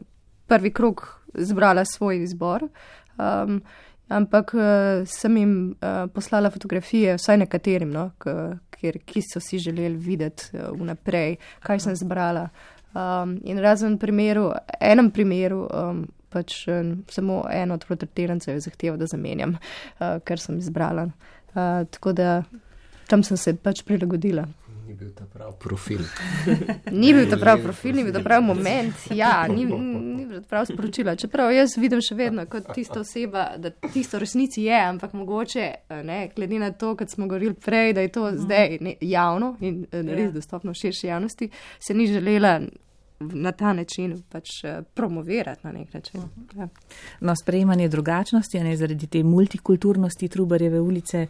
Speaker 3: prvi krog zbrala svoj izbor, ampak sem jim poslala fotografije, vsaj nekaterim, no, ki so si želeli videti vnaprej, kaj sem zbrala. In razen enem primeru, pač samo en od portretirancev je zahteval, da zamenjam, ker sem izbrala. Tako da tam sem se pač prilagodila.
Speaker 4: Ni bil ta prav profil.
Speaker 3: Ni bil ta prav profil, ni bil ta prav moment, ni bil ta prav sporočila. Čeprav jaz vidim še vedno kot tista oseba, da tisto v resnici je, ampak mogoče, glede na to, kot smo govorili prej, da je to zdaj javno in res dostopno širši javnosti, se ni želela na ta način pač promovirati na nek način. Ja.
Speaker 2: No, sprejemanje drugačnosti, zaradi te multikulturnosti Trubarjeve ulice,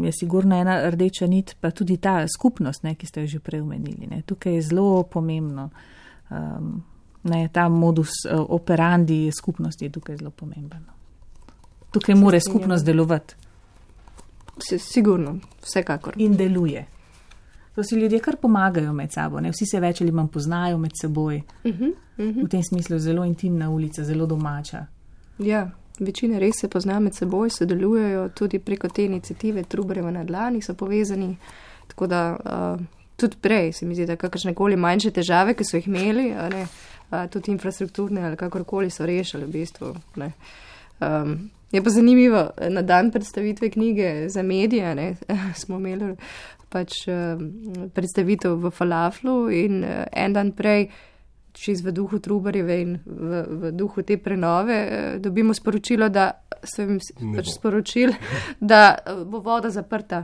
Speaker 2: je sigurno ena rdeča nit, pa tudi ta skupnost, ki ste jo že prej omenili. Tukaj je zelo pomembno. Ta modus operandi skupnosti je tukaj zelo pomemben. Tukaj mora skupnost delovati.
Speaker 3: Sigurno, vsekakor.
Speaker 2: In deluje. To si ljudje kar pomagajo med sabo, vsi se več ali manj poznajo med seboj. V tem smislu je zelo intimna ulica, zelo domača.
Speaker 3: Ja, večina res se pozna med seboj, sodelujejo tudi preko te iniciative Trubarjeva na dlani, so povezani, tako da tudi prej se mi zdi, da kakršnekoli manjše težave, ki so jih imeli, tudi infrastrukturne ali kakorkoli so rešili v bistvu. Je pa zanimivo, na dan predstavitve knjige za medije smo imeli pač predstavitev v Falaflu in en dan prej, čez v duhu Trubarjeve in v duhu te prenove, dobimo sporočilo, da so jim pač sporočili, da bo voda zaprta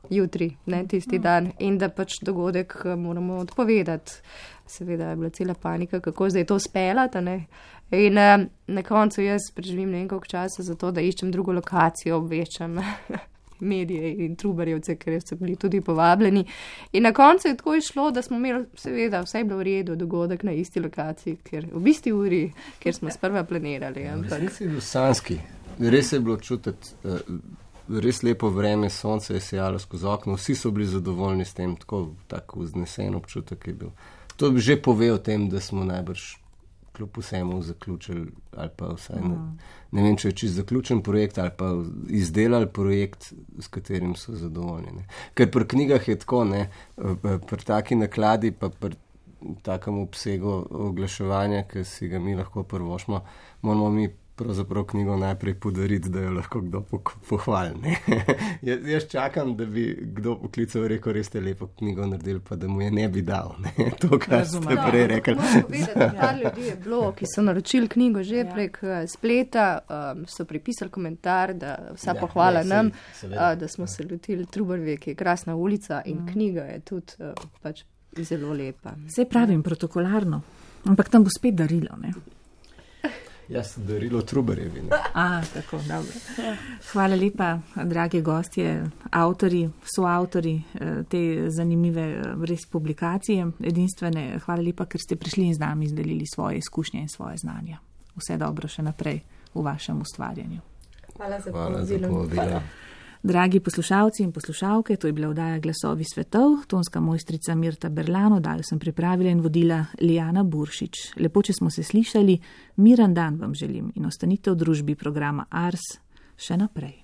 Speaker 3: jutri, tisti dan in da pač dogodek moramo odpovedati. Seveda je bila cela panika, kako zdaj to speljati, In na koncu jaz preživim nekaj časa za to, da iščem drugo lokacijo, obveščam medije in Trubarjevce, ker so bili tudi povabljeni. In na koncu je tako išlo, da smo imeli, seveda, vse je bilo v redu, dogodek na isti lokaciji, v isti uri, kjer smo sprva planirali.
Speaker 4: Res je bil sanski, res je bilo čutiti, res lepo vreme, sonce je sejalo skozi okno, vsi so bili zadovoljni s tem, tako vznesen občutek je bil. To bi že pove o tem, da smo najbrž kljub vsemu zaključili, ali pa vsaj ne vem, če je čisto zaključen projekt, ali pa izdelali projekt, s katerim so zadovoljni. Ker pri knjigah je tako, pri taki nakladi, pa pri takem obsegu oglaševanja, ki si ga mi lahko prvošmo, moramo mi pravzaprav knjigo najprej podariti, da jo lahko kdo pohvali. Jaz čakam, da bi kdo poklical in rekel, res ste lepo knjigo naredili, pa da mu je ne bi dal. To, kar ste prej rekli.
Speaker 3: Moram povedati, par ljudi je bilo, ki so naročili knjigo že prek spleta, so pripisali komentar, da vsa pohvala nam, da smo se lotili Trubarjeve, ki je krasna ulica in knjiga je tudi pač zelo lepa.
Speaker 2: Saj pravim protokolarno, ampak tam bo spet darilo,
Speaker 4: Jaz sem darilo Trubarjevi.
Speaker 2: Tako, dobro. Hvala lepa, dragi gostje, avtori, soavtori te zanimive res publikacije, edinstvene. Hvala lepa, ker ste prišli in z nami izdelili svoje izkušnje in svoje znanja. Vse dobro še naprej v vašem ustvarjanju.
Speaker 3: Hvala za povabilo.
Speaker 2: Dragi poslušalci in poslušalke, to je bila oddaja Glasovi svetov, tonska mojstrica Mirta Berlan, oddajo sem pripravila in vodila Lijana Buršič. Lepo, če smo se slišali, miren dan vam želim in ostanite v družbi programa Ars še naprej.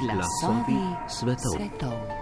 Speaker 1: Glasovi svetov.